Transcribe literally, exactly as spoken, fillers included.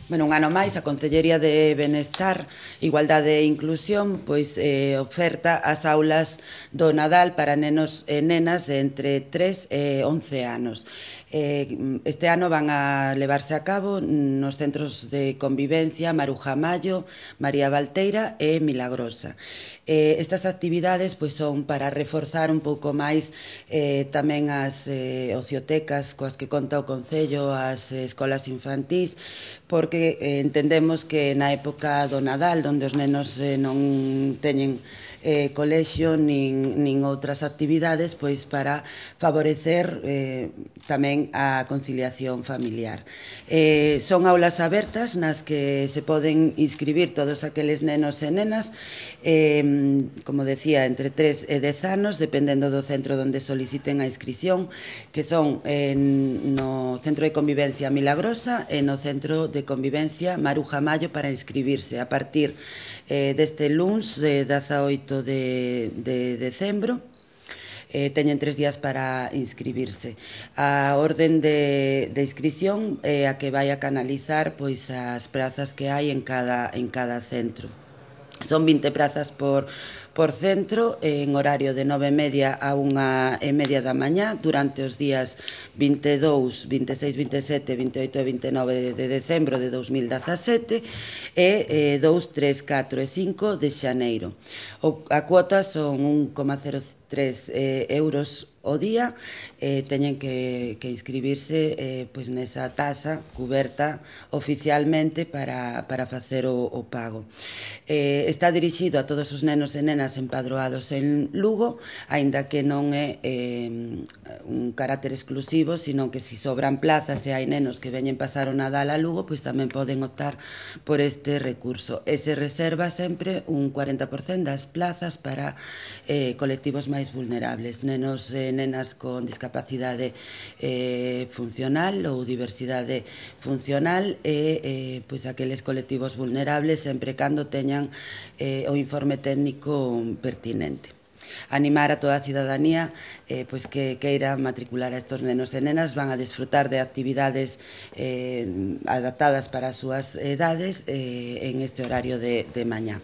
Bueno, un ano máis, a Concellería de Benestar, Igualdade e Inclusión pois, eh, oferta as aulas do Nadal para nenos e nenas de entre tres e once anos. Eh, este ano van a levarse a cabo nos centros de convivencia Maruja Mallo, María Valteira e Milagrosa. Eh, estas actividades pois, son para reforzar un pouco máis eh, tamén as eh, ociotecas coas que conta o Concello, as eh, escolas infantís, porque eh, entendemos que na época do Nadal, onde os nenos eh, non teñen eh, colexio nin, nin outras actividades, pois para favorecer eh, tamén a conciliación familiar. Eh, son aulas abertas nas que se poden inscribir todos aqueles nenos e nenas, eh, como decía, entre tres e dez anos, dependendo do centro onde soliciten a inscripción, que son eh, no Centro de Convivencia Milagrosa e no Centro de Convivencia Maruja Mallo para inscribirse a partir eh, deste luns de dezaoito de, de decembro. Eh, teñen tres días para inscribirse. A orden de, de inscripción é eh, a que vai a canalizar pois as prazas que hai en cada, en cada centro. Son vinte prazas por, por centro en horario de nove e media a unha e media da mañá durante os días vinte e dous, vinte e seis, vinte e sete, vinte e oito e vinte e nove de decembro de dos mil dezasete e eh, dous, tres, catro e cinco de xaneiro. O, a cuota son un coma cero tres eh, euros o día, eh, teñen que, que inscribirse eh, pois nesa tasa cuberta oficialmente para, para facer o, o pago. Eh, está dirixido a todos os nenos e nenas empadroados en Lugo, aínda que non é eh, un carácter exclusivo, sino que se si sobran plazas e hai nenos que veñen pasar o Nadal a Lugo, pois tamén poden optar por este recurso. E se reserva sempre un cuarenta por cento das plazas para eh, colectivos máis vulnerables, nenos e nenas con discapacidade eh, funcional ou diversidade funcional e eh, pois aqueles colectivos vulnerables sempre cando teñan eh, o informe técnico pertinente. Animar a toda a cidadanía eh, pois que queira matricular a estos nenos e nenas, van a disfrutar de actividades eh, adaptadas para as súas edades eh, en este horario de, de mañá.